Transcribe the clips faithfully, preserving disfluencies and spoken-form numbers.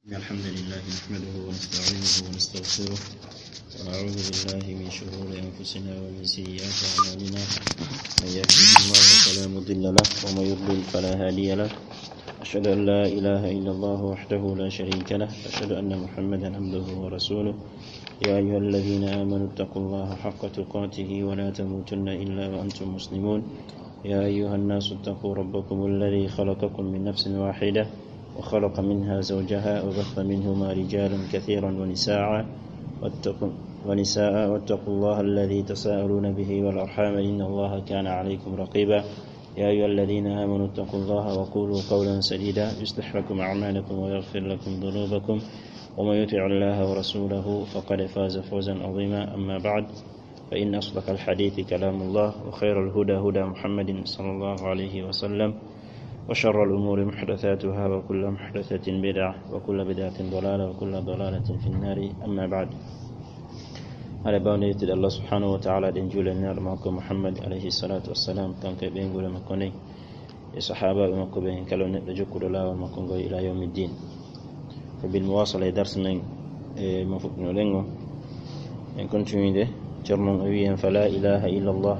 إن الحمد لله نحمده ونستعينه ونستغفره، ونعوذ بالله من شرور أنفسنا ومن سيئات أعمالنا. من يهده الله فلا مضل له، ومن يضلل فلا هادي له. أشهد أن لا إله إلا الله وحده لا شريك له، وأشهد أن محمدا عبده ورسوله. يا أيها الذين آمنوا اتقوا الله حق تقاته ولا تموتن إلا وأنتم مسلمون. يا أيها الناس اتقوا ربكم الذي خلقكم من نفس واحدة وخلق منها زوجها وبث منهما رجالا كثيرا ونساء واتقوا، ونساء واتقوا الله الذي تساءلون به والأرحام إن الله كان عليكم رقيبا. يا أيها الذين آمنوا اتقوا الله وقولوا قولا سديدا يصلح لكم أعمالكم ويغفر لكم ذنوبكم ومن يطع الله ورسوله فقد فاز فوزا عظيما. أما بعد، فإن أصدق الحديث كلام الله، وخير الهدى هدى محمد صلى الله عليه وسلم، وشر الأمور محدثاتها، وكل محدثة بدعة، وكل بدعة ضلالة، وكل ضلالة في النار. أما بعد. Haɗa bawnde yettude Allah subhanahu wa ta'ala, ɗen juula e nelaɗo makko Muhammad alayhi salatu wassalam, kanko e ɓeynguure makko nden, e sahaabaaɓe makko ɓen, kala neɗɗo jokkuɗo laawol makko ngol ila yawmi ddin. Ko bil muwasala e darse men e mo fuɗɗinoɗen o, en continuide. Ceerno o wi'i en, fa la ilaha illa Allah.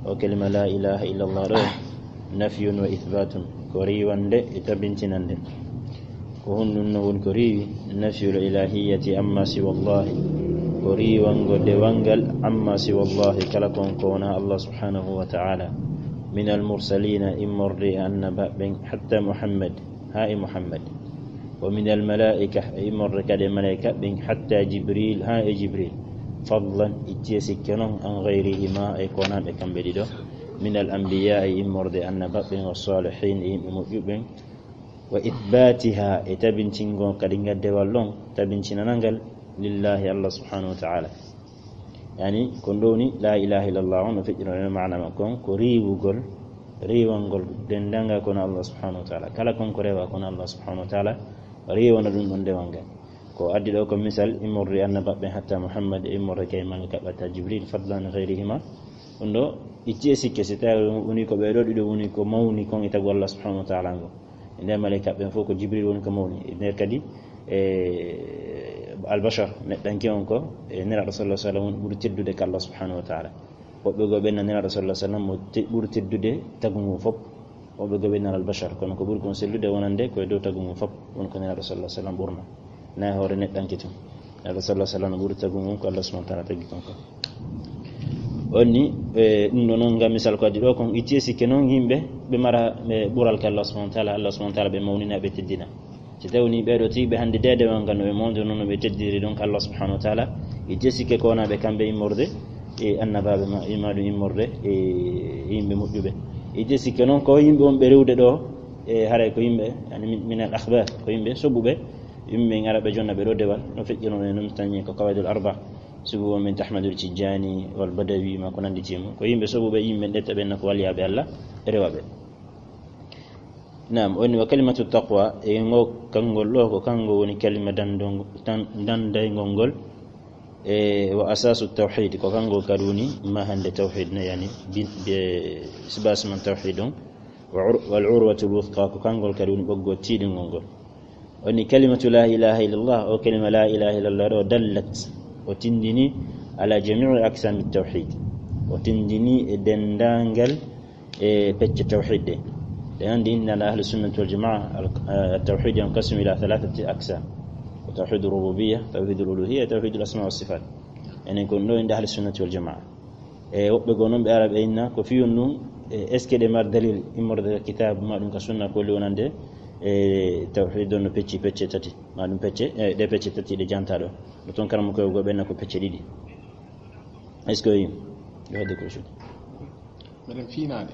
O kalima la ilaha illa Allah ɗo, nafyun wa ithbatun, ko riiwande e tabintinande. Ko honɗum non woni ko riiwi? Nafyul ilahiyati amma siwa Allah, ko riiwango dewal ngal amma siwa Allah, kala kon ko wona Allah subhanahu wa ta'ala. Min al mursalina, immorde e annabaaɓe ɓen, hatta Muhammad, haa e Muhammad. Wa min al malaika, e immorde kadi e malaika ɓen, hatta Jibril, haa e Jibril. Fadlan, ittiye sikke non, an gayrihima, e ko wonaa ɓe kamɓe ɗiɗo. Min al anbiya, e immorde e annabaaɓe ɓen, wa salihin, e yimɓe moƴƴuɓe ɓen. Wa ithbatiha, e tabintingol kadi ngal dewal ɗon, tabintinanangal lillahi Allah subhanahu wa ta'ala. Yani, ko ɗum woni la ilaha illallah on, no feƴƴuno e maana makko on, ko riiwugol, riiwangol denndaangal ko wona Allah subhanahu wa ta'ala. Kala kon ko rewa ko wona Allah subhanahu wa ta'ala, riiwana ɗum ɗon dewal ngal. Ko addi ɗo ko misal immorde annabaaɓe hatta Muhammad, e immorde kay malaika hatta Jibril, fadlan gayrihima. Ɗum ɗo, itti e sikke, si tawi woni ko ɓe ɗo ɗiɗo woni ko mawni kon e tagu Allah subhanahu wa ta'ala ngo. E nder malaika ɓen fof ko Jibril woni ko mawni. E nder kadi, e, albashar, neɗɗanke on ko, e, Nelaaɗo sallallahu alaihi wasallam woni ɓuri teddude ka Allah subhanahu wa ta'ala. Woɓɓe goo ɓen na Nelaaɗo sallallahu alaihi wasallam mo te-, ɓuri teddude tagu ngun fof. Woɓɓe goo ɓen na albashar, kono ko ɓuri kon sellude wonande ko e dow tagu ngun fof, woni ko Nelaaɗo sallallahu alaihi wasallam ɓurna. Na e hoore neɗɗanke tun. Nelaaɗo sallallahu alaihi wasallam ɓuri tagu ngun ko Allah subhanahu wa ta'ala tagi kon ko. Onni, e, ɗum ɗo non ngam misal ko addi ɗo kon, itti e sikke non yimɓe ɓe mara, ɓe ɓural ka Allah subhanahu wa ta'ala, Allah subhanahu wa ta'ala ɓe mawnina, ɓe teddina. Si tawi woni ɓee ɗo tigi ɓe hannde deede on ngam no ɓe mawndo non no ɓe teddiri ɗon ka Allah subhanahu wa ta'ala, itti e sikke ko wona ɓe kamɓe immorde e annabaaɓe ma, ima ɗum immorde e yimɓe moƴƴuɓe. Itti e sikke non ko yimɓe on ɓe rewde ɗo, e haray ko yimɓe, yani min, min al akhbar, ko yimɓe soɓuɓe, yimɓe ngara ɓe jonna ɓe ɗo dewal, no feƴƴuno e non tañi ko Qawaidul Arba. Sugu on min Ahmadul Tijjani wal Badawi ma ko nanndi e mum. Ko yimɓe soɓuɓe, yimɓe ndetta ɓen ko waliyaaɓe Allah, e rewaɓe. Naam, woni wa kalimatu taqwa, e ngo kanngol ɗo ko kanngol woni kalima dandong-, tan-, dandayngol ngol, e wa asasu tawhid, ko kanngol kadi woni mahande tawhid ne, yani bi-, be sibas man tawhid on, wa ur-, wal urwatul wuthqa, ko kanngol kadi woni ɓoggol tiiɗingol ngol. Woni kalimatu la ilaha illallah, o kalima la ilaha illallah ɗo dallat, o tindini ala jami'i aqsami tawhid, o tindini e denndaangal e pecce tawhid ɗe. Ɗen anndi inna ahli sunnati wal jamaa, al, eh, tawhid yanqasimu ila thalathati aqsam. Ko tawhid rububiyya, tawhid uluhiyya, tawhid asma wa sifat. Enen ko ɗo inda ahli sunnati wal jamaa. E woɓɓe goo non ɓe ara ɓe inna ko fiyun ɗum, e est-ce que ɗe mari dalil immorde ka kitab ma ɗum ka sunna ko holli wonande e tawhid on no pecci pecce tati, ma ɗum pecce, e ɗe pecce tati ɗe janta ɗo. No ton karamoko goo ɓe inna ko pecce ɗiɗi. Est-ce que yo hedde ko shuɗi? Meɗen fiinaade.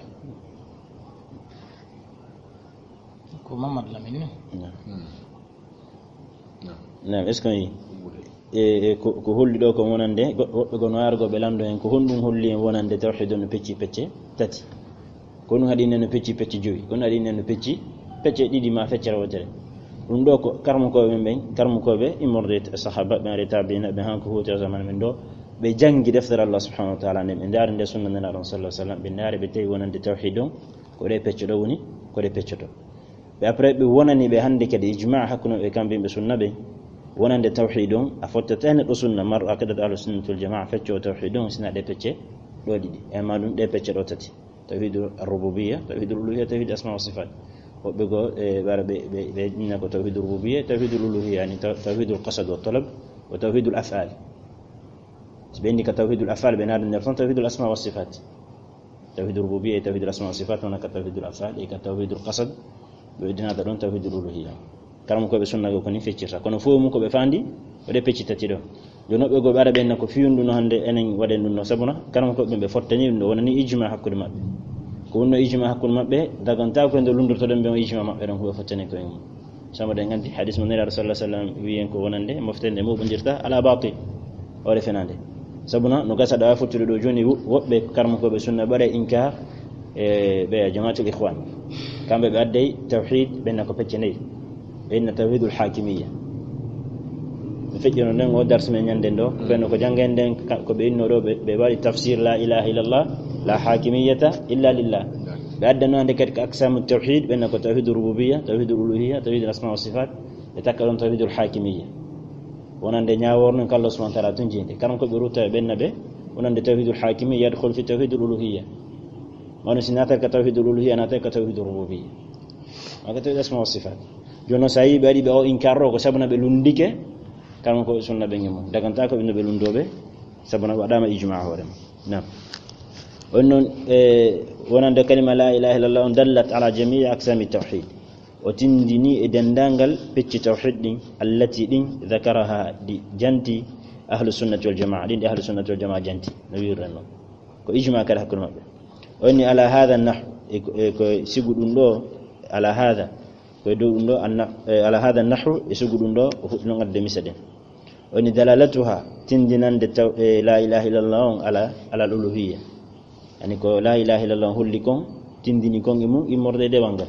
Ko Mamadou Lamine ni? Naam. Hmm. Naam. Naam, est-ce que on yi? Ɗumbude. E, e, ko, ko holli ɗo ko wonande, go-, woɓɓe goo no ara goo ɓe lanndo en, ko honɗum holli en wonande tawhid on no pecci pecce tati? Ko ɗum haɗi nen no pecci pecce jowi, ko ɗum haɗi nen no pecci pecce ɗiɗi ma feccere wootere. Ɗum ɗo ko karamokooɓe men ɓen, karamokooɓe immorde e sahaaba ɓen, e tabiina ɓen, han ko huuti e zaman men ɗo, ɓe janngi deftere Allah subhanahu wa ta'ala nden, ɓe ndaari nde sunna Nelaaɗo on sallallahu alaihi wasallam, ɓe ndaari ɓe tawi wonande tawhid on, ko ɗe pecce ɗo woni, ko ɗe peccoto. Ɓe après ɓe wonani ɓe hannde kadi ijma hakkunde ɓe kamɓe ɓe sunna ɓe. Wonande tawhid on, a fottata e neɗɗo sunna, marɗo aqidatu ahlu sunnati wal jamaa, fecco o tawhid on, sina ɗe pecce ɗo ɗiɗi. E ma ɗum ɗe pecce ɗo tati. Tawhid ar-rububiyya, tawhid al-uluhiyya, tawhid asma wa sifat. Woɓɓe go, e, ɓara ɓe, ɓe, ɓe inna ko tawhid rububiyya, tawhid uluhiyya, yani taw-, tawhid al-qasad wa talab, wa tawhid al-af'al. Si ɓe inni ka tawhid al-af'al, ɓe naɗa nder ton tawhid al-asma wa sifat. Tawhid rububiyya, tawhid al-asma wa sifat, wona ka tawhid al-af'al, e ka tawhid al-qasad, ɓe dinata ɗon tawhid al-uluhiyya. Karam ko ɓe sunna go ko ni feccirta. Kono fof mum ko ɓe fandi, o ɗe pecci tati ɗo. Jooni woɓɓe goo ɓe ara ɓe inna ko fiyundu no hannde enen waɗen ɗum no sabuna, karam ko ɓe ɓe fottani ɗum ɗo wonani ijma hakkunde maɓɓe. Ko wonno ijma hakkunde maɓɓe, dagantaako e nde lunndortoɗen ɓe on ijma maɓɓe ɗon ko ɓe fottani ko e mum. Sabu ɗen anndi hadis mo Nelaaɗo sallallahu alaihi wasallam wiyen ko wonande mofte nde moɓondirta ala batil, hoore fenande. Sabuna no gasa ɗo a fottude ɗo jooni wo-, woɓɓe karmakooɓe sunna ɓaɗa inkar e ɓe jamaatul ikhwan. Kamɓe ɓe adday tawhid ɓe inna ko pecce nayi. Ɓe inna tawhidul hakimiyya. Mi feƴƴono nden o darsi men ñande ndo, ɓe no ko janngen nden ka-, ko ɓe inno ɗo ɓe, ɓe waɗi tafsir la ilaha illallah, la hakimiyyata illa lillah. Ɓe addano hannde kadi ko aqsamu tawhid, ɓe inna ko tawhidul rububiyya, tawhidul uluhiyya, tawhidul asma wa sifat, ɓe takka ɗon tawhidul hakimiyya. Wonande ñaaworno ko Allah subhanahu wa ta'ala tun jeyde. Karam ko ɓe rutta ɓe inna ɓe, wonande tawhidul hakimiyya yadkhul fi tawhidul uluhiyya. Wano si naata ka tawhidul uluhiyya, naata ka tawhidul rububiyya. Maka tawhid asma wa sifat. Jooni noon, so a yii ɓe waɗi ɓe o inkar ɗo, ko sabuna ɓe lunndike, karam ko sunna ɓe ngimmo. Daganta ko ɓe no ɓe lunndoɓe, sabuna waɗama ijma hoore mum. Naam. On noon, e, wonande kalima la ilaha illallah on dallat ala jamii aqsami tawhid. O tindini e denndaangal pecci tawhid ɗin, allati ɗin, dhakaraha ɗi janti, ahlu sunnati wal jamaa, ɗin ɗi ahlu sunnati wal jamaa janti, no wi'irren noon. Ko ijma kadi hakkunde maɓɓe. O inni ala hadha nahw, e ko, e ko sigu ɗum ɗo, ala hadha, ko e dow ɗum ɗo, anna-, e ala hadha nahw, e sigu ɗum ɗo, o fuɗɗi noon adde misaɗen. O inni dalalatuha, tindinande taw, e la ilaha illallah on ala, ala al uluhiyya. Yani ko la ilaha illallah on holli kon, tindini kon e mum, immorde e dewal ngal.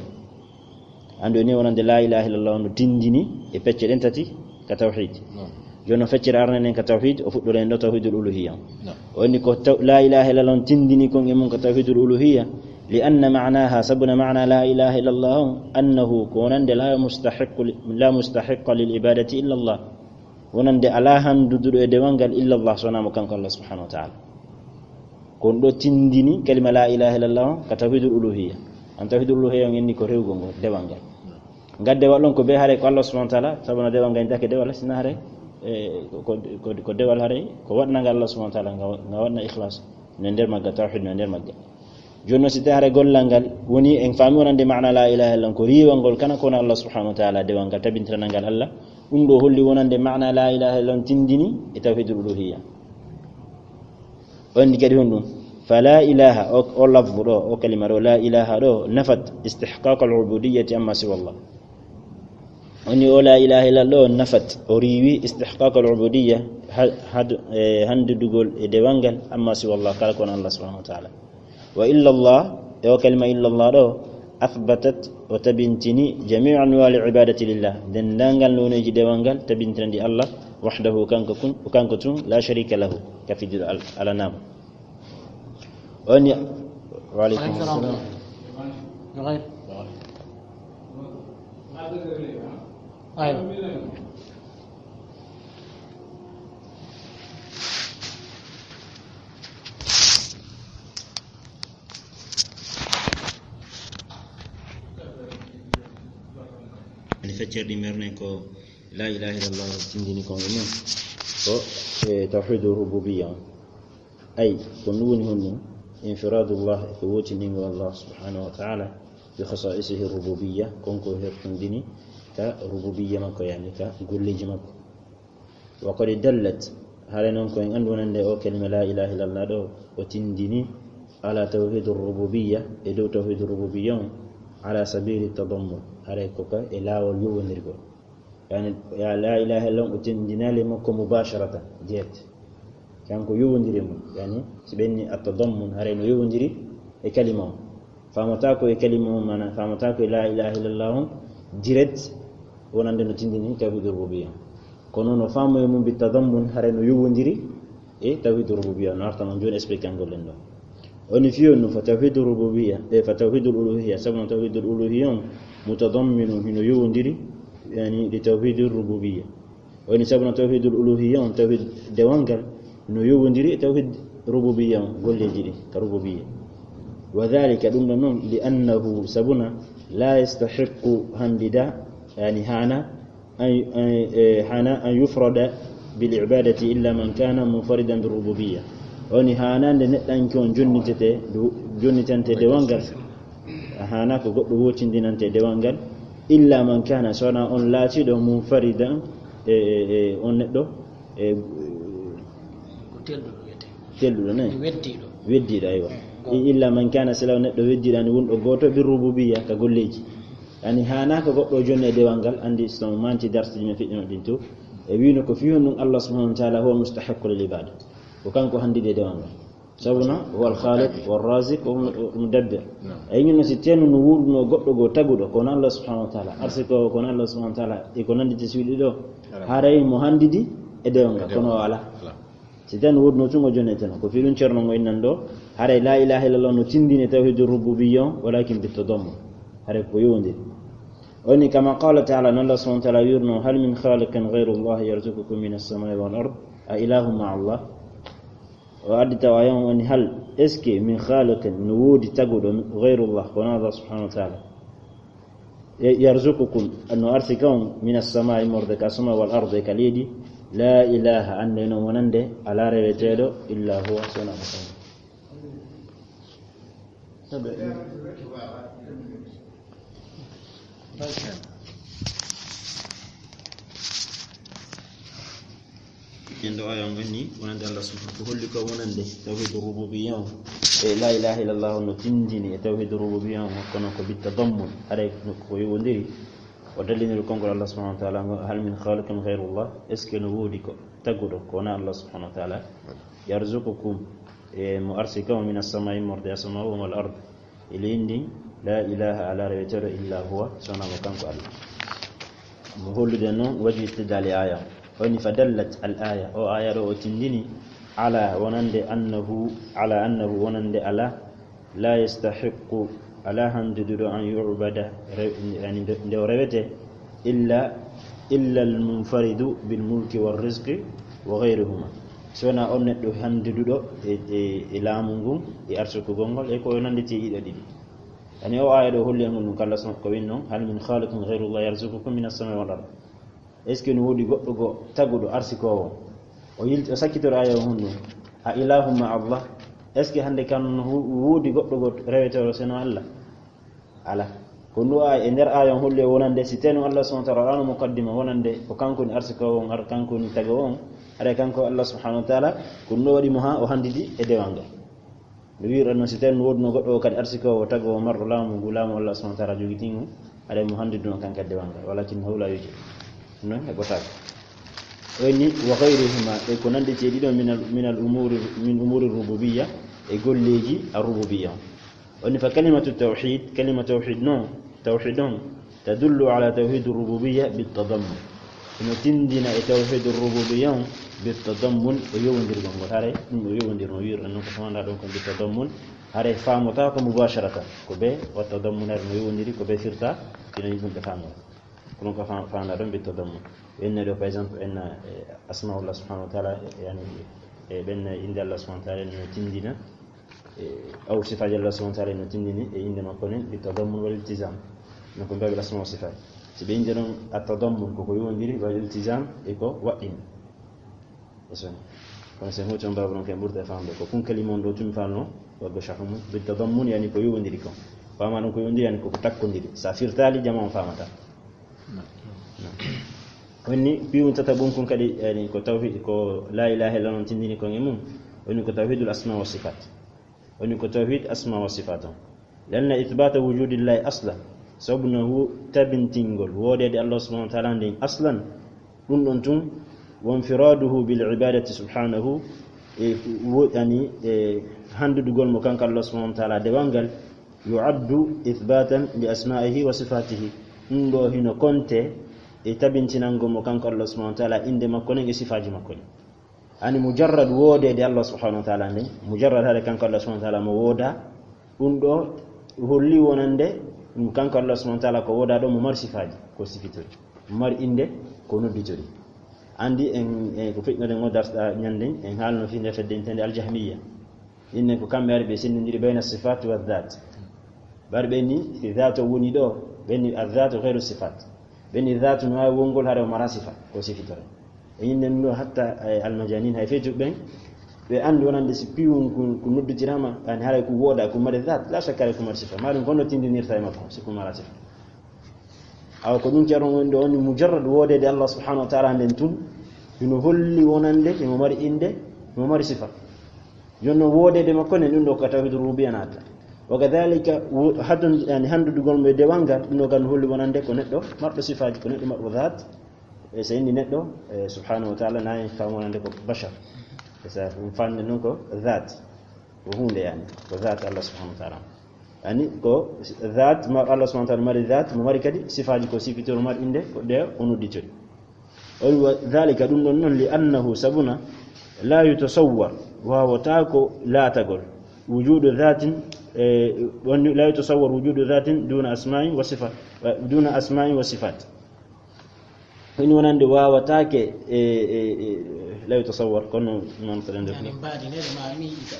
Andu ni wonande la ilaha illallah on no tindini e pecce ɗen tati ka tawhid. Naam. Jooni o feccere arnenen ka tawhid, o fuɗɗoren ɗo tawhidul uluhiyya. Naam. O inni ko taw-, la ilaha illallah on tindini kon e mum ka tawhidul uluhiyya, li anna ma'naha, sabuna ma'na la ilaha illallah on, annahu, ko wonande la mustahiqqu li-, la mustahiqqa lil ibadati illa Allah. Wonande alaa hannduduɗo e dewal ngal illa Allah, so wonaa mo kanko Allah subhanahu wa ta'ala. Ko on ɗo tindini kalima la ilaha illallah on ka tawhidul uluhiyya. An tawhidul uluhiyya on inni ko rewgol ngol, dewal ngal. Ngal dewal on ko be hare ko Allah subhanahu wa ta'ala, sabu no dewal ngal intake dewal, sina hare, e, ko, ko, ko, ko dewal hare, ko waɗnangal Allah subhanahu wa ta'ala, nga, nga waɗna ikhlas, no nder magga tawhid, no nder magga. Jooni noon, si tawii hare gollal ngal woni en faami wonande maana la ilaha illallah, ko riiwal ngol kana ko wona Allah subhanahu wa ta'ala, dewal ngal tabintiranal ngal Allah. Ɗum ɗo holli wonande maana la ilaha illallah on tindini e tawhidul uluhiyya. O inni kadi honɗum? Fa la ilaha, o, o lafzu ɗo, o kalima ɗo, la ilaha ɗo, nafat istihqaq al ubudiyyati amma siwa Allah. O inni o la ilaha illallah ɗo, nafat, o riiwi istihqaq al ubudiyya, ha-, had-, e, hanndudugol e dewal ngal, amma siwa Allah, kala ko wona Allah subhanahu wa ta'ala. Wa illa Allah, e o kalima illa Allah ɗo, athbatat, o tabintini jami'a anwa'il ibadati lillah, denndaangal nooneeji dewal ngal, tabintinandi Allah, wahdahu, kanko kun, kanko tun, la sharika lahu, ka fijjude al-, alanaama. O inni, wa alaikum salam. Nughayr. Aywa. Ani feccere ɗi mernen ko la ilaha illallah tindini kon e mum. Ko, e, tawhidu rububiyya on. Ay, ko ɗum woni honɗum? Infiradullah, ko wootindingol Allah subhanahu wa ta'ala, bi khasa'isihi rububiyya, kon ko hertindini ka rububiyya makko, yani ka golleeji makko. Wa qad dallat, hare noon ko en anndu wonande o kalima la ilaha illallah ɗo, o tindini ala tawhidur rububiyya, e dow tawhidur rububiyya on, ala sabili tadammun, hare ko ka e laawol yowondirgol. Yani, ya la ilaha illallah, o tindinaali makko mubasharatan, direct. Kanko yowondiri mum, yani, si ɓenni at-tadammun, haray no yowondiri e kalima on. Faamata ko e kalima on, mana, faamata ko e la ilaha illallah on, direct, wonande no tindini tawhidur rububiyya. Kono no faamu e mum bi tadammun, haray no yowondiri e tawhidur rububiyya. No arta non jooni expliqué angol ɗen ɗo. Oni fiyo no fa tawhidur rububiyya, e fa tawhidul uluhiyya, sabu no tawhidul uluhiyya on, Mutadamminu, hino yowondiri, yani, li tawhidi rububiyya. Woni sabu no tawhidul uluhiyya on, tawhid dewal ngal, no yowondiri e tawhid rububiyya on, golleeji ɗi, ka rububiyya. Wa dhalika, ɗum ɗon non, li annahu, sabuna, la yastahiqqu, handida, yani, hana, an, an, eh, hana an yufrada bil ibadati illa man kana munfaridan bir rububiyya. Woni hanande neɗɗanke on jonnitete, du-, jonnitante dewal ngal. Hana ko goɗɗo wotindinante dewal ngal, illa man kana, sona on laatiɗo munfaridan, e, e, e, on neɗɗo, e, Ko telɗuɗo wiyetee. Telɗuɗo, ne? Weddiiɗo. Weddiiɗo, aywa. I-, illa man kana, sila neɗɗo weddiiɗo, ani wonɗo gooto, bir rububiyya, ka golleeji. Ani hana ko goɗɗo jonni e dewal ngal, andi so manti darsuji men feƴƴuno ɗin to. E wino ko fiyon ɗum Allah subhanahu wa ta'ala huwa mustahiqqu lil ibada. Ko kanko handide dewal ngal. Sabuna, huwa al khaliq, wa raziq, wa mu-, wa mudabbir. Ay ñun si tenu no wuurno goɗɗo go taguɗo, kono Allah subhanahu wa ta'ala. Arsiko, kono Allah subhanahu wa ta'ala. E ko nanditi suuɗi ɗo. Haray mo handidi e dewal ngal, kono o ala. Si tan woodno tun o jonneteno. Ko fii ɗum Ceerno mo innan ɗo, haray la ilaha illallah no tindini tawhidu rububiyya on, walakin bi tadammun. Haray ko yowondiri. Woni kama qala ta'ala, non Allah subhanahu wa ta'ala wirno, "Hal min khaliqin ghayru Allah yarzuqukum minas samai wal ard? A ilahun ma'a Allah?" O addi tawa yon woni, hal, est-ce que min khaliqin, no woodi taguɗo ghayru Allah, kono Allah subhanahu wa ta'ala? E yarzuqukum, no arsika on, minas samai, immorde ka suma, wal ardi, ka leydi. La ilaha, annde non wonande, ala reweteeɗo, illa huwa, sona mo kanko. Kendo aya on woni wonande Allah subhanahu, ko holli ko wonande tawhidu rububiyya on. E la ilaha illallah on no tindini e tawhidu rububiyya on, kono ko bi tadammun, haray ko yowondiri. O dalliniri konngol Allah subhanahu wa ta'ala ngo, "Hal min khaliqin ghayru Allah?" Est-ce que no woodi ko taguɗo ko wona Allah subhanahu wa ta'ala? "Yarzuqukum", e mo arsika on, "minas samai", immorde asama, "wal ard", e leydi ndin, "la ilaha", ala reweteeɗo, "illa huwa", sona mo kanko Allah. Mo hollude non waji istidlali aya. Woni fa dallat al aya. O aya ɗo o tindini ala wonande annahu, ala annahu wonande ala, la yastahiqqu, ala handuduɗo an yu'bada, re-, yani nde, nde o rewete, illa, illa al munfaridu bil mulki war rizqi wa ghayruhuma. Si wona on neɗɗo handuduɗo e, e, e laamu ngun, e arsukugol ngol, e ko nanditi e ɗiɗo ɗiɗi. Yani o aya ɗo holli en ɗum kala so ko winno, "Hal min khaliqin ghayru Allah yarzuqukum minas samai wal ard?" Est-ce que no woodi goɗɗo go taguɗo arsikowo? O yilti, o sakkitoro aya on honno. "A ilahun ma'a Allah?" Est-ce que hande kan no hu-, woodi goɗɗo go rewetoro seno Allah? Ala. Ko ndu aya, e nder aya on holli o wonande, si teno Allah subhanahu wa ta'ala ano muqaddima wonande, ko kanko ni arsikowo on, ar-, kanko ni tagowo on, are kanko Allah subhanahu wa ta'ala, ko ndu waɗi mo ha o handidi e dewal ngal. No wi'irɗon non, si tawii no woodunoo goɗɗo o kadi arsikowo, tagoowo, marɗo laamu ngu, laamu Allah subhanahu wa ta'ala jogitii ngu, aɗa mo hanndidunoo kan kadi dewal ngal, walakin hawla yuje. Non heɓotaako. O inni, "Wa ghayrihima", e ko nannditi e ɗiɗo min al, min al umuri, min umuri rububiyya, e golleeji ar rububiyya on. O inni, "Fa kalimatu tawhid", kalima tawhid non, tawhid on, "tadullu ala tawhid rububiyya bit tadammun". Ino tindina e tawhidur rububiyya on bit tadammun, o yowondirgol ngol. Haray ɗum o yowondirno, o wi'irɗo non ko famanɗa ɗon kon bit tadammun. Haray faamotako mubasharatan ko be wa tadammun, haray no yowondiri ko be firta, kino ɗum ɓe faamata. Ko ɗum ko fa-, famanɗa ɗon bit tadammun. Ɓe inna ɗo, par exemple, ɓe inna, eh, asmaullah subhanahu wa ta'ala, eh, yani, eh, ɓe inna innde Allah subhanahu wa ta'ala no tindina, eh, aw sifaaji Allah subhanahu wa ta'ala no tindini e innde makko nen, bi tadammun wal iltizam. No ko mbawi asma wa sifat. Si ɓe innde ɗon at tadammun ko ko yowondiri, wal iltizam e ko waɗɗini. E son. Kono sen hoti on babu non kay ɓurta e famde ko kun kalima on ɗo tumi falno, waggo shahumu, bi tadammun yani ko yowondiri kon. Fama ɗon ko yowondiri yani ko ko takkondiri. Sa firtali jama on famata. Woni piwun tata ɓum kun kadi, yani ko tawhid, ko la ilaha illa non tindini kon e mum. Woni ko tawhidul asma wa sifat. Woni ko tawhid asma wa sifat on. Lanna ithbata wujudillahi aslan. Sabu no hu-, tabintingol woodede Allah subhanahu wa ta'ala nden aslan. Ɗum ɗon tun, wa infiraduhu bil ibadati subhanahu, e wo-, yani, e handudugol mo kanko Allah subhanahu wa ta'ala dewal ngal, yu'addu ithbatan li asma'ihi wa sifatihi. Ɗum ɗo hino konte e tabintinango mo kanko Allah subhanahu wa ta'ala innde makko nen e sifaaji makko ɗin. Ani mujarrad woodede Allah subhanahu wa ta'ala nden, mujarrad haɗe kanko Allah subhanahu wa ta'ala mo wooda, ɗum ɗo holli wonande Ɗum kanko Allah subhanahu wa taala ko woodaa ɗo mo mari sifaaji, ko sifitori. Mo mari innde, ko nodditori. Anndi en, en ko feƴƴunoɗen o darsuɗa ñannden, en haalno fii nde fedde intende Aljahmiya. Innen ko kamɓe ari ɓe senndindiri bayna sifaat wa dhaat. Ɓe ari ɓe ni, si dhaat o woni ɗo, ɓe ni adhaat ghayru sifaat. Ɓe ni dhaat no waawi wongol hara o mara sifa, ko sifitore. E innen ɗo hatta, eh, almajanin hay feetu ɓen, ɓe anndi wonande si piwun ko, ko nodditiraama, yani haray ko woodaa, ko mari dhaat, la shakka haray ko mari sifa. Maa ɗum kono tindinirta e makko, si ko mara sifa. Awa ko ɗum ceerno woni ɗo, on mujarrad woodeede Allah subhanahu wa taala nden tun, hino holli wonande himo mari innde, himo mari sifa. Jonno woodeede makko nden ɗum ɗo ka tawhid rububiyya naata. Wa kadhalika wo-, haddon-, yani, hanndudugol mo e dewal ngal, ɗum ɗo kan holli wonande ko neɗɗo marɗo sifaaji, ko neɗɗo marɗo dhaat. E so inni neɗɗo, e, subhanahu wa taala, nayi kam wonande ko bashar. E sa ɗum fande noon ko dhaat. Ko huunde yani, ko dhaat Allah subhanahu wa taala. Yani ko dhaat, ma Allah subhanahu wa taala mari dhaat, mo mari kadi sifaaji ko sifitoro mari innde, ko ɗe o nodditori. O wi wa dhalika, ɗum ɗon noon, li annahu, sabuna, la yutasawwar, waawata ko laatagol, wujudu dhatin, e, wonde la yutasawwar wujudu dhatin duna asma'in wa sifat, e, duna asma'in wa sifat. Ko ɗum wonande waawataake, e, e, e, la yutasawwar, kono noon ko ɗen ndefu. Yani mbaadi ne ma mi ita.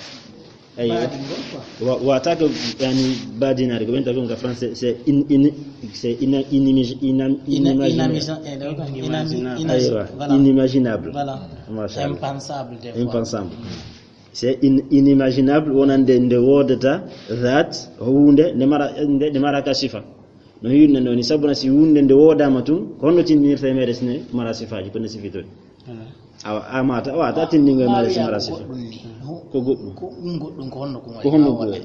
Aywa. Mbaadi ngol quoi. Wa-, waawataake, yani, mbaadinaade, ko ɓen tawi ko français, c'est in-, in-, c'est ina-, inimigi-, inam-, Ina-, inimaginable. inamisa-, eh, ɗo quoi, inami-, Inimaginable. inas-, Aywa, voilà. inimaginable. Voilà. Machallah. Impensable des fois. Impensable. C'est in-, inimaginable, wonande nde woodata dhaat, huunde, nde mara, nde, nde mara ka sifa. No hirnde noon, sabuna si huunde nde woodaama tun, ko honno tindinirta e meere sine mara sifaaji, ko nde sifitori? Awa, a mata, a wata tindingo e meere si mara sifa. Ko goɗɗum. Ko ɗum goɗɗum, ko honno ko Ko honno ko waɗi?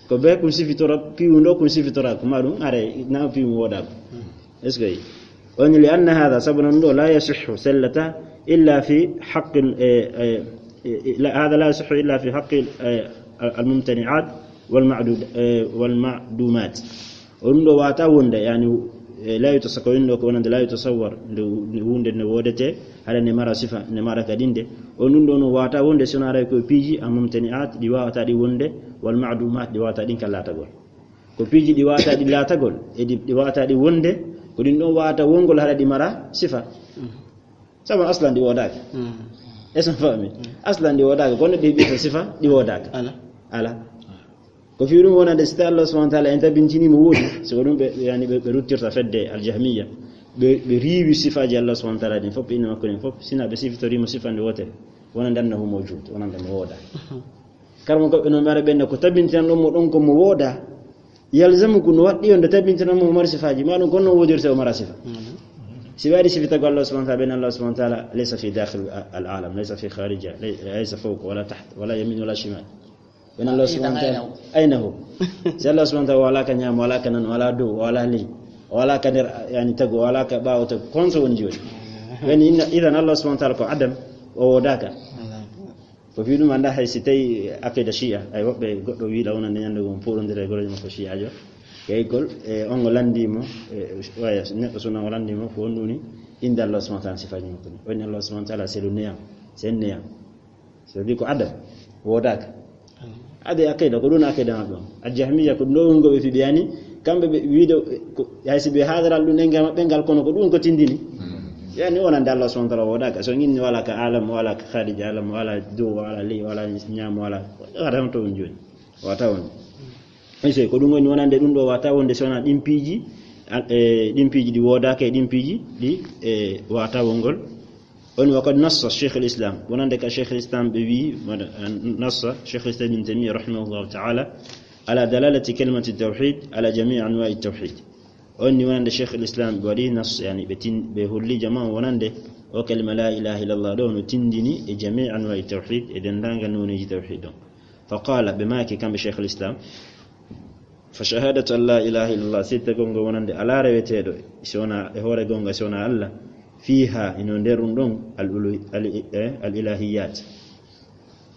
Ko be kun sifitora, piwundo kun sifitora, ko maɗum, are, na piwu woodaako. Est-ce que? On li anna hadha, sabu non ɗo, la yasihhu, sellata, illa fi haqqil, eh, eh, eh, la, hadha la yasihhu illa fi haqqil, eh, al-, al-mumtani'at wal ma'dud, eh, wal ma'dumat. O ɗum ɗo waata wonde, yani, e, la yutasawwar, ko wonande la yutasawwar, nde wu-, nde wonde nde woodete, hara nde mara sifa, nde mara kadi nde. O ɗum ɗo no waata wonde, si wonaa ko piiji al-mumtani'at, ɗi waawata ɗi wonde, wal ma'dumat, ɗi waawata ɗin ka laatagol. Ko piiji ɗi waawata ɗi laatagol, e ɗi, ɗi waawata ɗi wonde, ko ɗin ɗon waawata wongol hara ɗi mara sifa. Sabu aslan ɗi woodaaka. Mm. Est-ce que faami? Mm. Aslan ɗi woodaaka, kono ɗi ɓiɗɗo sifa, ɗi woodaaka. Ala. Ala. Ko fii ɗum wonande, si tawi Allah subhanahu wa ta'ala en tabintini mo woodi, so ko ɗum ɓe, yani ɓe, ɓe ruttirta fedde al-Jahmiyya, ɓe, ɓe riiwi sifaaji Allah subhanahu wa ta'ala ɗin fof, inna makko ɗin fof, sina ɓe sifitoriimo sifa nde wootere, wonande annahu mawjud, wonande mo woodaa. Mhm. Kala mo ko ɓe no mara ɓen ko tabintinan ɗon mo ɗon ko mo woodaa, yalzamu ko no waɗɗi on nde tabintinan mo o mari sifaaji, ma ɗum kono no woodirta o mara sifa. Mhm. Si ɓe waɗi sifitagol Allah subhanahu wa ta'ala, ɓen Allah subhanahu wa ta'ala laysa fi dakhil al-alam, laysa fi kharija, lay-, laysa fawqa wala tahta, wala yamin wala shimal. Ɓen Allah subhanahu wa ta'ala, ayna hu? Si Allah subhanahu wa ta'ala wala ka ñaamo, wala ka nano, wala dow, wala ley, wala ka nder, yani, tago, wala ka ɓaawo tago, kon so woni jooni. Ɓen inna, idan Allah subhanahu wa ta'ala ko adam, o woodaaka. Ko fii ɗum annda hay si tawi aqida Shi'a, ay woɓɓe goɗɗo wiiɗa wonande ñande goo poɗondira e goroje makko Shi'ajo. Kay kol, e on o lanndii mo, e, waya, neɗɗo suna o lanndii mo, ko on ɗuni, innde Allah subhanahu wa ta'ala sifaaji makko ni. O inni Allah subhanahu wa ta'ala c'est le néant, c'est un néant. C'est-à-dire ko adam, woodaaka. Ade aqida, ko ɗum aqida maɓɓe on. Al-Jahmiyya ko ɗo woni ko ɓe fiɓi, yani, kamɓe ɓe wiide, ko, hay si ɓe haadaral ɗum ɗen ngal maɓɓe ngal, kono ko ɗum ko tindini. Yani, wonande Allah subhanahu wa ta'ala woodaaka. So inni wala ka alam, wala ka kharij alam, wala dow, wala ley, wala ñaamo, wala, wala tan to on jooni. Wata on. Ay, so ko ɗum woni wonande ɗum ɗo wata wonde so wona ɗin piiji, al-, e, ɗin piiji ɗi woodaaka e ɗin piiji ɗi, e, wata wongol. On wa qad nassa Sheikhul Islam, wonande ka Sheikhul Islam ɓe wi, wona, nassa Sheikhul Islam Ibn Taymiyyah rahimahullahu ta'ala, ala dalalati kalimati tawhid, ala jami'i anwa'i tawhid. On ni wonande Sheikhul Islam ɓe waɗi nas, yani ɓe tin-, ɓe holli jama wonande o kalima la ilaha illallah ɗo no tindini e jami'i anwa'i tawhid, e dendagal noneji tawhid ɗon. Fa qala, ɓe maaki kamɓe Sheikhul Islam, Fa shahadatu an la ilaha illallah, seedtagol ngol wonande alaa reweteeɗo si wonaa, e hoore goonga si wonaa Allah, fiiha, ino nder ɗum ɗon, al ulu-, al, eh, al ilahiyat,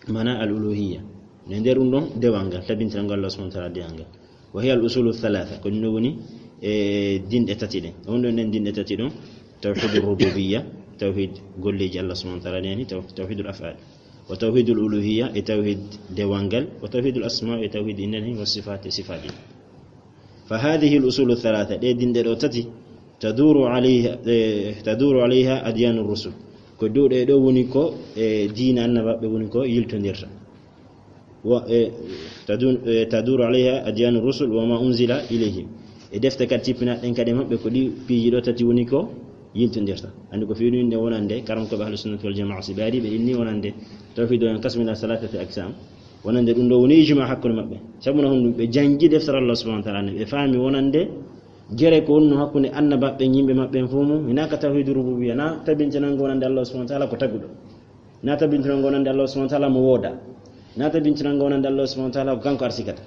mana al uluhiyya, ino nder ɗum ɗon dewal ngal, tabintiral ngal Allah subhanahu wa ta'ala dewal ngal. Wa hiya al usulu thalatha, ko ɗum ɗon woni e dinɗe tati ɗen. Ɗum ɗon ɗen dinɗe tati ɗon, tawhidur rububiyya, tawhid golleeji Allah subhanahu wa ta'ala ɗen, taw-, tawhidul af'al. Wa tawhidul uluhiyya, e tawhid dewal ngal, wa tawhidul asma, e tawhid innde nden, wa sifaat, e sifaaji. Fa hadhihi al-usulu thalatha, ɗe dinɗe ɗo tati, taduru alayha, eh, taduru alayha adyanu rusul. Ko dow ɗe ɗo woni ko, eh, diina annabaɓe woni ko yiltondirta. Wa, eh, tadun-, eh, taduru alayha adyanu rusul wa ma unzila ilayhim. E defte kadi tippinaɗen kadi maɓɓe ko ɗi piiji ɗo tati woni ko yiltondirta. Andi ko fewni wonande karam ko ɓe ahlu sunnati wal jamaa, si ɓe ari ɓe inni wonande tawhid o en kasmina salatati aksam. Wonande ɗum ɗo woni ijma hakkunde maɓɓe. Sabu no honɗum? Ɓe janngi deftere Allah subhanahu wa ta'ala nde, ɓe faami wonande gere ko wonno hakkunde annabaɓe, yimɓe maɓɓe en fof mum, hinaa ka tawhidu rububiyya, na tabintinango wonande Allah subhanahu wa ta'ala ko taguɗo, na tabintinango wonande Allah subhanahu wa ta'ala mo wooda, na tabintinango wonande Allah subhanahu wa ta'ala ko kanko arsikata.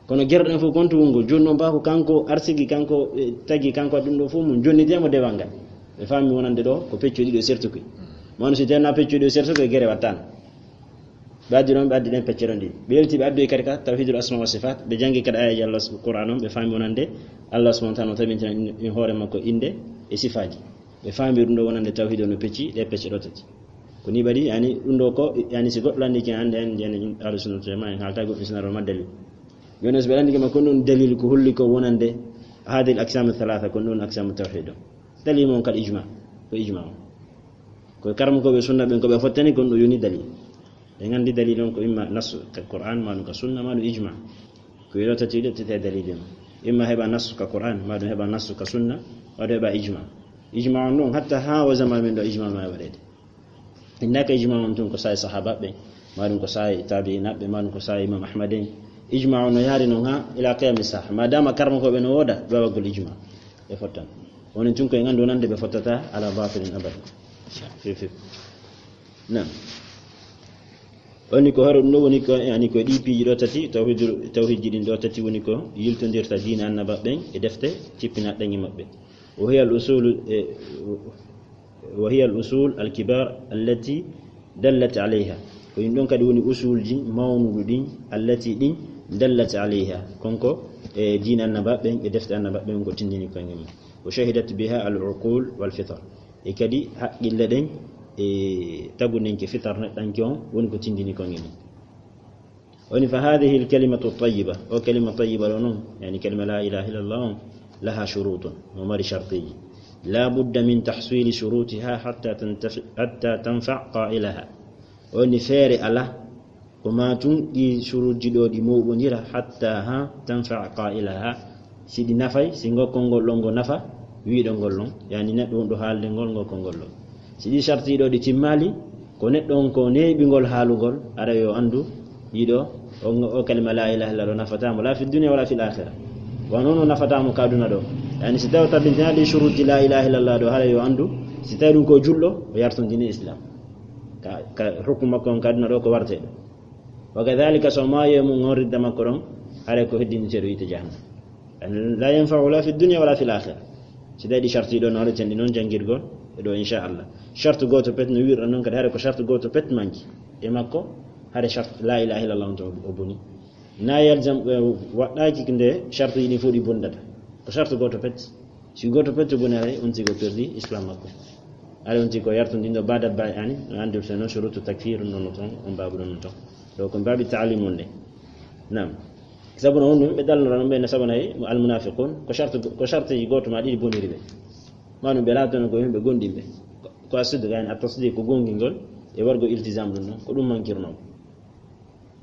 Kono gere ɗen fof kontu wongo, jooni noon ba ko kanko arsigi, kanko, eh, tagi, kanko waɗi ɗum ɗo fof mum, jonnitee mo dewal ngal. Ɓe faami wonande ɗo ko pecce ɗiɗo sertuki. Mawno si tawno pecce ɗiɗo sertuki, gere wattano. Ɓe addi ɗon, ɓe addi ɗen pecce ɗon ɗiɗi. Ɓe yalti, ɓe addi kadi ka tawhidul asma wa sifat, ɓe janngi kadi ayaji Allah s-, Qur'an on, ɓe faami wonande Allah subhanahu wa ta'ala no tabintina in, in hoore makko innde e sifaaji. Ɓe faami ɗum ɗo wonande tawhid o no pecci, ɗe pecce ɗo tati. Ko ni waɗi, yani, ɗum ɗo ko, yani, si goɗɗo lanndike hannde, en, yani, ahlu sunna wal jamaa, en haalta goɗɗum si na ɗon ma dalil. Jooni, so ɓe lanndike ma, ko ɗum dalil ko holli ko wonande hadhihi al aqsam thalatha, ko ɗum aqsam tawhid o. Dalil mon kal ijma, ko ijma o. Ko karamokooɓe sunna ɓen ko ɓe fottani kon ɗo yoni dalil. Ɓe nganndi dalil on ko imma nassu ka Qur'an, ma ɗum ka sunna, ma ɗum ijma. Ko yo tati ɗo tete dalil on. Imma heɓa nassu ka Qur'an, ma ɗum heɓa nassu ka sunna, ma ɗum heɓa ijma. Ijma on ɗon hatta haa o zaman men ɗo ijma ma e waɗeede. Innaka ijma on tun ko saa'i sahabaɓe, ma ɗum ko saa'i tabi'inaɓe, ma ɗum ko saa'i Imam Ahmad en. Ijma on no yaari non haa ila qiyami saha. Ma dama karamokooɓe no wooda, ɓe waggol ijma. Ɓe fottan. Woni tun ko en anndu wonande ɓe fottata ala batilin abada. Fi, fi. Naam. Woni ko haro ɗum ɗo woni ko, yani ko ɗi piiji ɗo tati, tawhid, tawhidji ɗin ɗo tati woni ko yiltondirta diina annabaɓe ɓen e defte tippinaɗen e maɓɓe. Wa hiya al usul, eh, wa hiya al usul al kibar allati dallat alayha. Ko ɗin ɗon kadi woni usulji mawnuɗi ɗin, allati ɗin dallat alayha. Konko e diina annabaɓe ɓen e defte annabaɓe ɓen ko tindini kon e mum. Wa shahidat biha al uqul wal fitar. E kadi haqqille ɗen e tagunenke fitar neɗɗanke on woni ko tindini kon e mum. Woni fa hadhihi al kalimatu tayyiba, o kalima tayyiba ɗo non, yani kalima la ilaha illallah on, laha shurutun, no mari shartiji. La budda min tahsili shurutiha hatta tantafi-, hatta tanfa qailaha. Woni feere ala, ko ma tun ɗi shuruji ɗo ɗi moɓondira hatta ha tanfa qailaha. Si ɗi nafay, si ngokkol ngol ɗon ngo nafa, wiiɗo ngol ɗon, yani neɗɗo wonɗo haalde ngol, ngokkol ngol ɗon. Si ɗi sharti ɗo ɗi timmaali, ko neɗɗo on ko neeɓi ngol haalugol, ara yo anndu, yiɗo, o, o kalima la ilaha illallah ɗo nafata mo, la fi dunya wala fil akhirah. Wano no nafata mo ka aduna ɗo. Yani si tawi o tabbintina ɗi shuruti la ilaha illallah ɗo, hara yo anndu, si tawi ɗum ko julɗo, o yartondini Islam. Ka, ka hukmu makko on ka aduna ɗo ko warteɗo. Wa kadhalika so maayi e mum on ridda makko ɗon, haray ko heddiniteeɗo yiite jahannam. La yanfa'u la fi dunya wala fil akhirah. Si tawi ɗi sharti ɗo no haɗeten ɗi noon janngirgol e ɗo inchallah. Shartu gooto pet no wiirɗon noon kadi haray ko shartu gooto pet manki. E makko haray shartu la ilaha illallah on to o boni. Na yalzam, eh, waɗɗaaki nde shartuji ɗin fof ɗi bondata. Ko shartu gooto pet. Si gooto pet boni haray on tigi o perdi Islam makko. Haray on tigi ko yartondinɗo baada baay ani, no anndirte noon shurutu takfir ɗum ɗon no toon, on baabu ɗon no toon. Ɗo ko baabi taalim on nde. Naam. Sabu no honɗum ɓe dalnora noon ɓe ne sabu nayi al munafiqun, ko shartu, ko shartuji gooto ma ɗiɗi boniri ɓe. Ma ɗum ɓe laatono ko yimɓe gonɗinɓe. Ko, ko a siddiq yani at tasdiq ko gongingol e wargo iltizam ɗum ɗon, ko ɗum mankirnoo.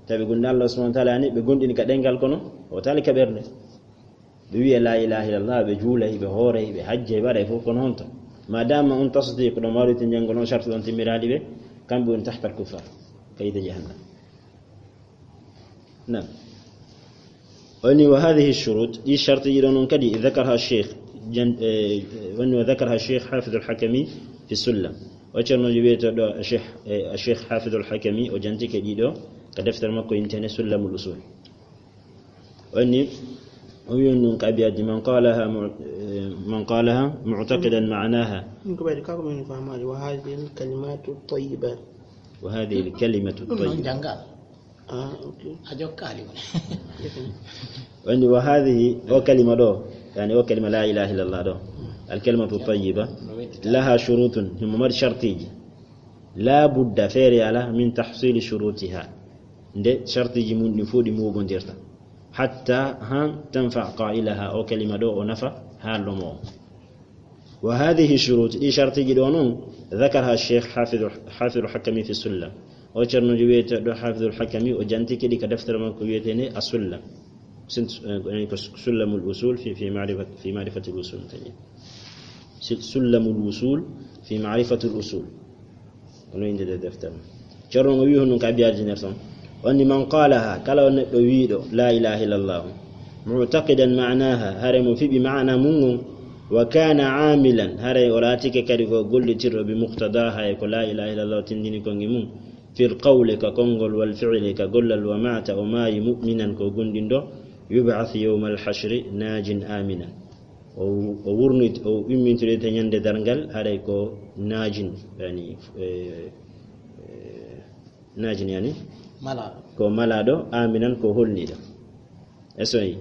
Tawi gonɗi Allah subhanahu wa ta'ala ani ɓe gonɗini ka ɗengal kono o taali ka ɓernde. Ɓe wiya la ilaha illallah, ɓe juulay, ɓe hooray, ɓe hajjay, ɓe waɗay fof, kono honto? Ma dama on tasdiq ɗon mawɗo to janngol on shartu ɗon timmiraali ɓe, kamɓe woni tahtal kuffar, ka yiite jahannam. Naam. Woni wa hadhihi shurut, ɗi shartuji ɗo noon kadi, dhakaraha Cheikh, jan-, eh, woni wa dhakaraha Cheikh Hafidh al-Hakami fi Sullam. O ceernoojo wiyeteeɗo Cheikh, eh, Cheikh Hafidh al-Hakami, o jantike ɗiɗo ka deftere makko intene Sullamul Usul. Woni, o wiyon ɗum ka abiyaaji, man qalaha mu-, eh, man qalaha mu'taqidan ma'naha. Ɗum ko ɓayde kako min famaade, wa hadhihi al kalimatu tayyibat. Wa hadhihi al kalimatu ɗum noon tayyiba. Janngal. Ah, ok. A jokkaali mo. Woni wa hadhihi, o kalima ɗo, yani o kalima la ilaha illallah ɗo, al kalimatu tayyiba, laha shurutun, himo mari shartiji. La budda, feere ala, min tahsili shurutiha. Nde shartiji mum ɗin fof ɗi moɓondirta. حتى ها تنفع قائلها، o kalima ɗo o nafa haalɗo mo. وهذه الشروط، ɗi shartiji ɗo noon, ذكرها الشيخ حافظ، حافظ الحكمي في السلم. O ceerno wiyetee ɗo Hafidul Hakami, o jantike ɗi ka deftere makko wiyetee nde As-Sullam. Sin-, eh, ko Sullamul Usul fi, fi ma'rifat-, fi ma'rifatil usul. Si-, Sullamul Usul fi ma'rifatil usul. Kono innde nde deftere. Ceerno o wiyi honɗum ka abiyaaji nder tan. O ni, من قالها، kala on neɗɗo wiiɗo لا إله إلا الله، معتقدا معناها، haray mo fiɓi maana mum on, وكان عاملا، haray o laatike kadi ko gollitirɗo, بمقتضاها، e ko لا إله إلا الله tindini kon e mum, في القول، ka konngol, والفعل، ka gollal, ومات، o maayi, مؤمنا، ko gomɗinɗo, يبعث يوم الحشر ناج آمنا. O, o wurnit-, o immintoreete ñande darngal, haray ko naajin, yani, eh, eh, naajin, yani? Malaaɗo. Ko malaaɗo, aaminan, ko holniiɗo. E soyi,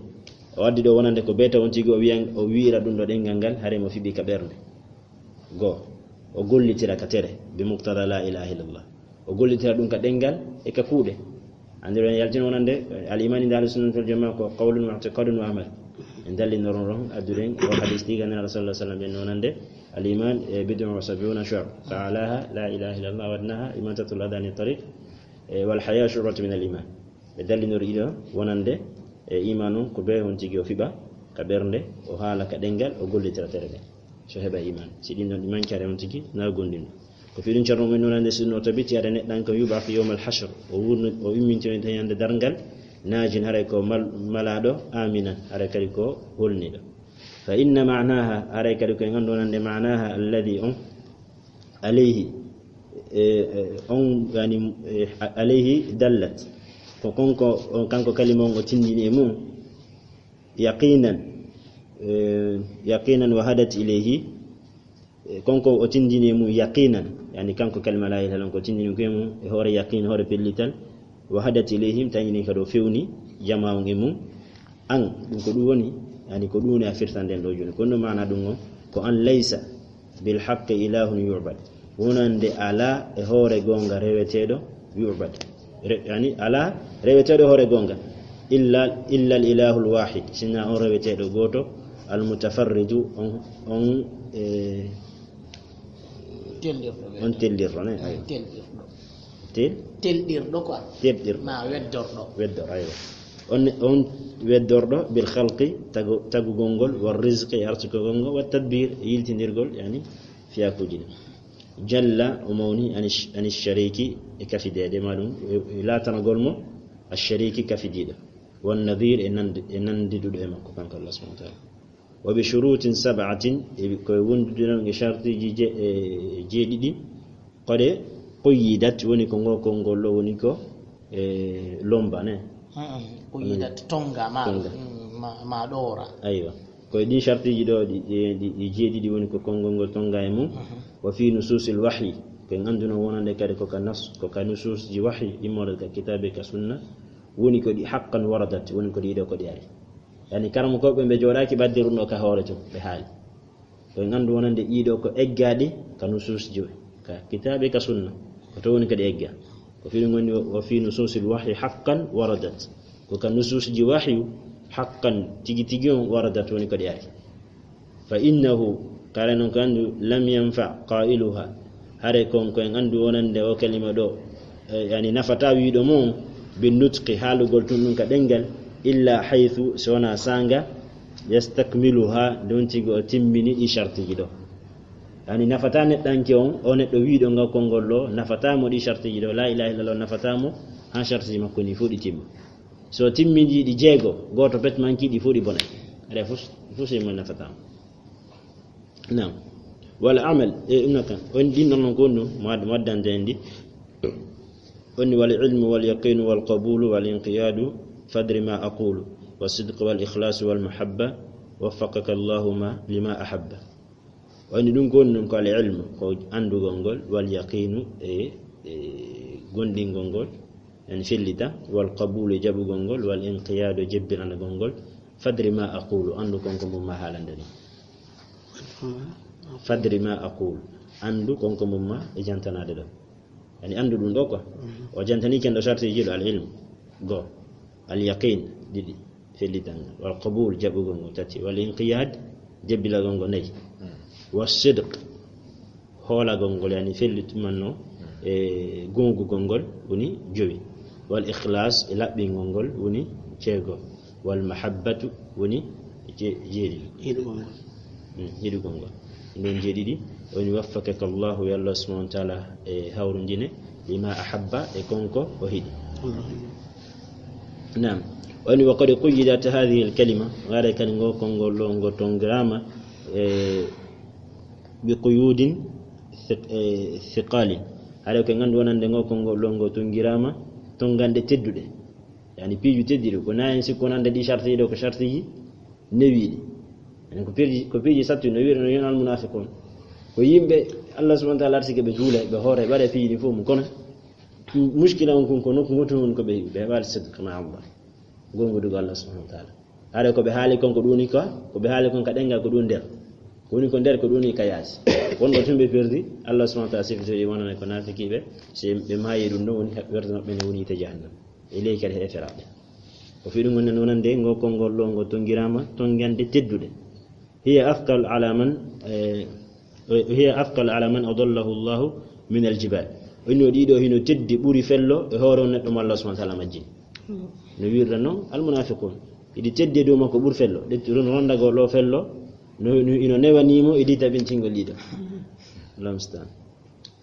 o addi ɗo wonande ko beeta on tigi o wiyan, o wi'ira ɗum ɗo ɗenngal ngal, haray mo fiɓi ka ɓernde. Goo, o gollitira ka tere, بمقتضى لا إله إلا الله. O gollitira ɗum ka ɗenngal e ka kuuɗe. Anndiron yaltin wonande, al-iman inda ahli sunnati wal jamaa ko qawlun wa i'tiqadun wa amal. En dallinoro ɗon, adduɗen o hadis ɗi ganndal Rasulullah sallam ɓen wonande, al-iman, eh, bid'un wa sab'una shu'ba. Fa a'laha la ilaha illallah wa adnaha imatatul adha anit tariq, eh, wal haya shu'batun min al-iman. Ɓe dallinori ɗiɗo wonande, e iman on ko bee on tigi o fiɓa ka ɓernde, o haala ka ɗenngal, o gollitira tere ɗen. So heɓa iman. Si ɗin ɗon ɗi manki, haray on tigi na gomɗinɗo. Ko fii ɗum ceerno men wonande, si no tabiti, haray neɗɗanke يبعث يوم الحشر. O wurno, o immintinoyta ñande darngal, naajin, haray ko mal-, malaaɗo, aaminan, haray kadi ko holniiɗo. فإن معناها، haray kadi ko en anndu wonande معناها الذي on, عليه, e, e, on, yani, e, عليه دلت. Ko konko, on, kanko kalima on o tindini e mum, يقينا, e, يقينا وهدت إليه, e, kanko o tindini e mum يقينا, yani kanko kalima لا إله إلا الله ko tindini ko e mum, e hoore yaqin, hoore pellital, وهدت إليه, tañini kadi o fewni jamaa on e mum. An, ɗum ko ɗum woni, yani ko ɗum woni a firtan nden ɗo jooni. Ko ɗum maana ɗum on, ko أن ليس بالحق إله يعبد. Wonande alaa e hoore goonga reweteeɗo يعبد. Re-, yani alaa reweteeɗo hoore goonga. إلا، إلا الإله الواحد. Sinaa on reweteeɗo gooto, المتفرد, on, on, e, Tellirɗo on weeyo. Tellirɗo, ne? Ay, aywa. Tellirɗo. Tel? Telɗirɗo quoi. Telɗirɗo. Ma weddorɗo. Weddor, aywa. On, on weddorɗo بالخلق, tagu-, tagugol ngol, والرزق, e arsukugol ngol, والتدبير, e yiltindirgol, yani, fiyakuuji ɗin. جل, o mawni, عن الش-، عن الشريك, e kafideede, ma ɗum, e, e laatanagol mo, الشريك, kafidiiɗo. والنظير, e nandi-, e nandiduɗo e makko, kanko Allah subhanahu wa ta'ala. وبشروط سبعة, e ko e wondude noon e shartiiji je-, e jeeɗiɗi, قد قيدت, woni ko ngol konngol ɗo woni ko, e, lomba, ne? Mm, mm. قيدت, tonga, ma, tonga. Mm, ma, ma ɗoora. Aywa. Ko e ɗin shartiiji ɗo, ɗi, ɗi, ɗi, ɗi jeeɗiɗi woni ko konngol ngol tonga e mum. Mhm. وفي نصوص الوحي, ko en annduno wonande kadi ko ka nas-, ko ka nusuusji wahyi, immorde ka kitaabe ka sunna, woni ko ɗi حقا وردت, woni ko ɗi ɗo ko ɗi ari. Yani, karamokooɓe ɓe jooɗaaki ɓadde ɗum ɗo ka hoore tun, ɓe haali. Ko en anndu wonande ɗiɗo ko eggaaɗi ka nusuusji, ka kitaabe, ka sunna. Ko to woni kadi egga. Ko fii ɗum woni, وفي نصوص الوحي حقا وردت. Ko ka nusuusji wahyu, haqqan, tigi tigi on, waradat, woni ko ɗi ari. فإنه, kala non ko anndu, لم ينفع قائلها. Hare kon ko en anndu wonande o kalima ɗo, e, yani nafataa wiiɗo mo on, بالنطق, haalugol tun ɗum ka ɗemngal, إلا حيث, so wonaa saanga, يستكملها, ndon tigi o timmini ɗi shartiiji ɗo. Yani nafataa neɗɗanke on, o neɗɗo wiiɗo ngal konngol ɗo, nafataa mo ɗi shartiiji ɗo, لا إله إلا الله nafataa mo, haa shartiiji makko ni fof ɗi timma. So timmini ɗi jeego, gooto pet manki ɗi fof ɗi bonay. Hare fof, fof sey mo nafataa mo. Naam. والعمل, e, ɗum kan. On ɗin ɗon non ko ɗum, mo ad-, mo addante en ɗi. On ni: والعلم واليقين والقبول والانقياد، فادر ما أقول، والصدق والإخلاص والمحبة، وفقك الله ما، لما أحب. On ni ɗum ko ɗum ko العلم, ko anndugol ngol, واليقين, e, e, gomɗingol ngol, en fellita, والقبول, e jaɓugol ngol, والانقياد, e jebbiranagol ngol, فادر ما أقول, anndu kon ko mum ma haalande ɗum. فادر ما أقول, anndu kon ko mum ma e jantanaade ɗo. Yani anndu ɗum ɗo quoi. Mhm. O jantani ken ɗo shartiiji ɗo, العلم, go. اليقين, ɗiɗi. Fellital ngal. Wal qabul, jaɓugol ngol, tati. Wal inqiyad, jebbilagol ngol, nayi. Wa sidq, hoolagol ngol, yani fellitumanno e goongugol ngol, woni jowi. Wal ikhlas, e laɓɓingol ngol, woni jeego. Wal mahabbatu, woni je-, jeeɗiɗi. Yiɗugol ngol. Mm, yiɗugol ngol. Ɗum jeeɗiɗi, woni waffaqaka Allahu, yo Allah subhanahu wa ta'ala e hawrindine, lima ahabba, e konko o yiɗi. Naam. Woni wa qad quyyidat hadhihi al-kalima, haray kadi ngo konngol ɗo ngo tonngiraama, e, bi quyudin thiq-, e, thiqalin. Haray ko nganndu wonande ngo konngol ɗo ngo tonngiraama tonnganɗe tedduɗe. Yani piiji tedduɗi, ko nayi sikko wonande ɗi sharti ɗo ko shartiji newiiɗi. Yani ko piiji, ko piiji sattuɗi no wi'irno yon al munafiqun. Ko yimɓe Allah subhanahu wa ta'ala arsike ɓe juula, ɓe hoore, ɓe waɗa piiji ɗi fof mum kono muskila on kon ko nokku ngotu on ko ɓe, ɓe heɓaali sidq ma Allah. Gongudugo Allah subhanahu wa ta'ala. Haray ko ɓe haali kon ko ɗum woni ka, ko ɓe haali kon ka ɗengal ko ɗum nder. Ko woni ko nder ko ɗum woni ka yaasi. Wonɗo tun ɓe perdi, Allah subhanahu wa ta'ala sifitoyi wonana ko naafikiiɓe, si ɓe maayi ɗum ɗon woni werta maɓɓe ne woni yiite jahannam. E ley kadi heeferaaɓe. Ko fii ɗum woni wonande ngo konngol ɗo ngo tonngiraama tonngande tedduɗe. Hiya athqal ala man, eh, hiya athqal ala man adallahu Allahu min al-jibal. O inni o ɗiɗo hino teddi ɓuri fello e hoore on neɗɗo mo Allah subhanahu wa ta'ala majjini. No wi'irta non al-munafiqun. Iɗi teddi e dow makko ɓuri fello. Ɗetti ɗum rondagol ɗo fello. No, no, ino newani mo iɗi tabintingol ɗiɗo. Allahumma musta'an.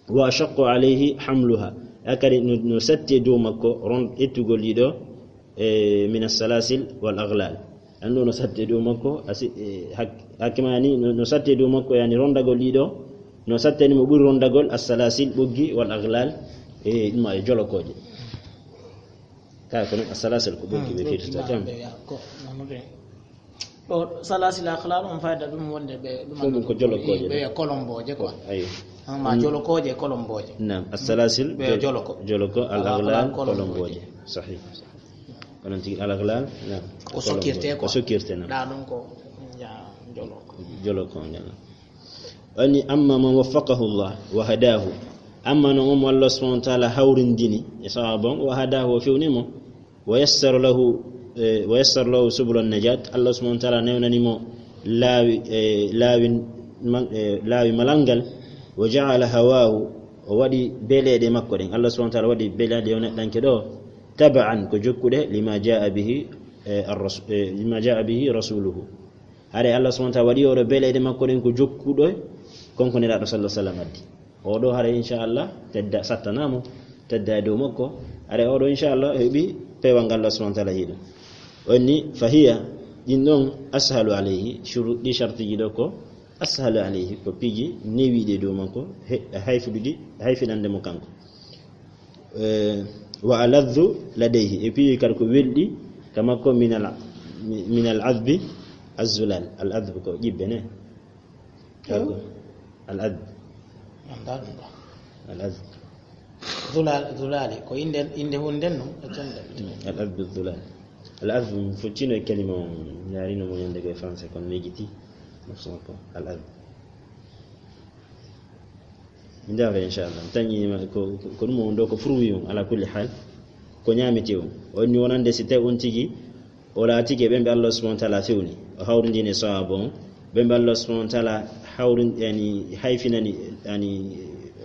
Wa ashaqqu alayhi hamluha. Akari no, no satti e dow makko ron ettugol ɗiɗo, e, min as-salasil wal aghlal. An ɗo no satti e dow makko, asi, e, hak-, hakkimani no, no satti e dow makko, yani rondagol ɗiɗo, no sattani mo ɓuri rondagol as-salasil ɓoggi wal aghlal, e, ɗum e jolokooje. Kaya ko non as-salasil ko ɓoggi ɓe firtata. Ɓe ya ko, non ɓe. Ɗo salasil akhlal on fayda ɗum wonde ɓe ɗum fof ɗum ko jolokooje ɓe ɗe. Kolombooje quoi. Ayo. Ah, ma jolokooje e kolombooje. Naam, as-salasil ɓe jo-, joloko. Joloko, al-aghlal, al-aghlal, kolombooje. Kolombooje. Sahih. Onon tigi al-aghlal, naam. Ko sokkirte quoi. Ko sokkirte, naam. Ɗa ɗum ko ya joloko. Joloko, naam. Ani amma man waffaqahu Allah wa hadahu. Amma non on mo Allah subhanahu wa ta'ala hawrindini e sawabu on, wa hadahu, o fewni mo. Wa yassara lahu, eh, wa yassara lahu subula najat. Allah subhanahu wa ta'ala newnani mo laawi, eh, laawi ma-, eh, laawi malal ngal. Wa ja'ala hawahu, o waɗi beleeɗe makko ɗen. Allah subhanahu wa ta'ala waɗi beleeɗe o neɗɗanke ɗo taba'an ko jokkuɗe lima ja'a bihi, eh, ar-rasu-, eh, lima ja'a bihi rasuluhu. Haray Allah subhanahu wa ta'ala waɗi oɗo beleeɗe makko ɗen ko jokkuɗo kon ko Nelaaɗo sallallahu alaihi wasallam addi. Oɗo haray inchallah tedda sattana mo, tedda e dow makko. Haray oɗo inchallah heɓi peewal ngal Allah subhanahu wa ta'ala yiɗi. Onni fahiya ɗin ɗon ashalu alayhi, shuru-, ɗi shartiji ɗo ko ashalu alayhi, ko piiji newiiɗi e dow makko, he-, hayfuɗi, hayfinande mo kanko. Eh, wa aladhu ladayhi, e piiji kadi ko welɗi ka makko min al, min al adhbi az-zulal. Al adhb ko ƴibbe ne. Al adhb. Anndaa ɗum ɗo. Al adhb. Zulal, zulali, ko innde, innde hunden non, e tonde. Mm, al adhb zulal. Al adhb foccino e kalima on, ñaarino mo ñande ko e français, kono mejiti. Al adhb. Min ndewata, inchallah. Tañi ma-, ko, ko, ko ɗum woni ɗo, ko fruit on, ala kulli hal. Ko ñaamete on. O inni wonande si tawi on tigi, o laatike ɓen ɓe Allah subhanahu wa ta'ala fewni. O hawrindini e sawabu on. Ɓen ɓe Allah subhanahu wa ta'ala hawrin-, yani, hayfinani, yani,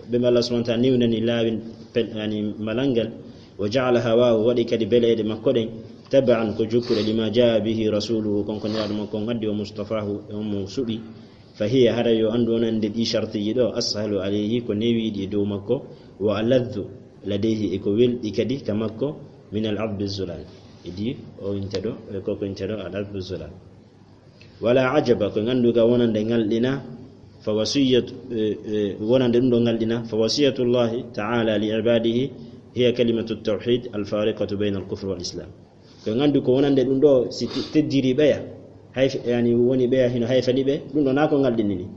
ɓen ɓe Allah subhanahu wa ta'ala newnani laawin pel-, yani, malal ngal. Wa ja'ala hawahu, waɗi kadi beleeɗe makko ɗen. Taba'an ko jokkuɗe lima ja'a bihi rasuluhu, kon ko Nelaaɗo makko on addi, wa mustafahu, e on mo suɓi. Fa hiya, hara yo anndu wonande ɗi shartiji ɗo, ashalu alayhi, ko newiiɗi e dow makko, wa aladhu ladayhi, e ko welɗi kadi ka makko, min al adhbi zulal. Idi o inteɗo, e koko inteɗo al adhbi zulal. Wala ajaba, ko ngannduga wonande ngalɗina, fa wasiyatu, e, e, wonande ɗum ɗo ngalɗina, fa wasiyatullahi ta'ala li ibadihi hiya kalimatu tawhid al fariqatu bayna al kufri wal islam. Ko nganndu ko wonande ɗum ɗo, si te-, teddiri ɓeya, hay f-, yani woni ɓeya hino hayfani ɓe, ɗum ɗo na ko ngal ɗinnini.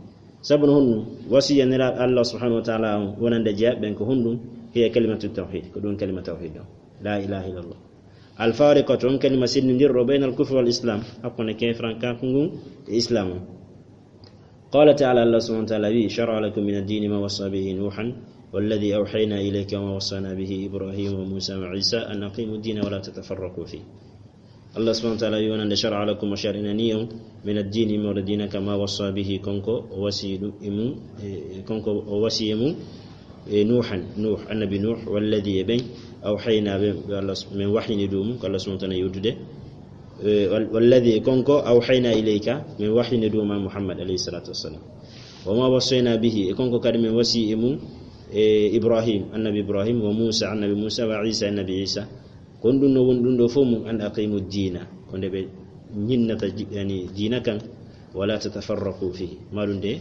Sabu no honɗum? Wasiya Nelaaɗo Allah subhanahu wa ta'ala on wonande jeyaɓe ɓen ko honɗum? Hiya kalimatu tawhid, ko ɗum kalima tawhid ɗo. La ilaha illallah. Al fariqatu, on kalima senndindirɗo, bayna al kufri wal islam, hakkunde keefrankaaku ngun e islam on. Qala ta'ala, Allah subhanahu wa ta'ala wi, "Shara'a lakum min ad-dini ma wassa bihi Nuhan, walladhi awhayna ilayka wa ma wassana bihi Ibrahim wa Musa wa Isa an aqimu ad-dina wa la tatafarraqu fih." Allah subhanahu wa ta'ala wi wonande: "Shara'a lakum", o shar'inani on, "min ad-dini", mo diina kan, "ma wassa bihi", kanko o wasi ɗum e mum, e, kanko o wasi e mum, e, Nuhan, Nuh, annabi Nuh, "walladhi", e ɓen, "awhayna", ɓe, ɓe Allah, min wahyini ɗum, ko Allah subhanahu wa ta'ala yewtude, e, wal-, "walladhi", e kanko, "awhayna ilayka", min wahyini ɗum ma Muhammad alayhi salatu wassalam. "Wa ma wassayna bihi", e kanko kadi min wasi e mum, e, Ibrahim, annabi Ibrahim, "wa Musa", annabi Musa, "wa Isa", annabi Isa. Kon ɗum no woni ɗum ɗo fof mum, "an aqimu diina", ko nde ɓe ñinnata ji-, yani, diina kan, "wala tatafarraqu fihi", ma ɗum de,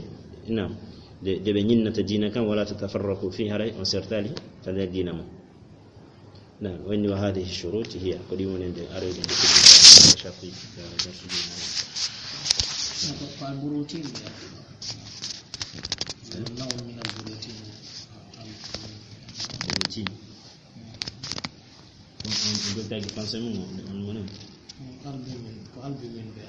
naam, de, de ɓe ñinnata diina kan, "wala tatafarraqu fihi", haray on sertali ka nder diina mum. Naam, o inni: "Wa hadhihi shurut hiya", ko ɗi woni nde aroyde nde ko sharti, ya, ya, sujud. Ko, ko al-burutin, ya. Naw'un min al-burutin. Burutin. On, on, on jokkaki français mum, on, on moni? Albumin, ko albumin ɓe.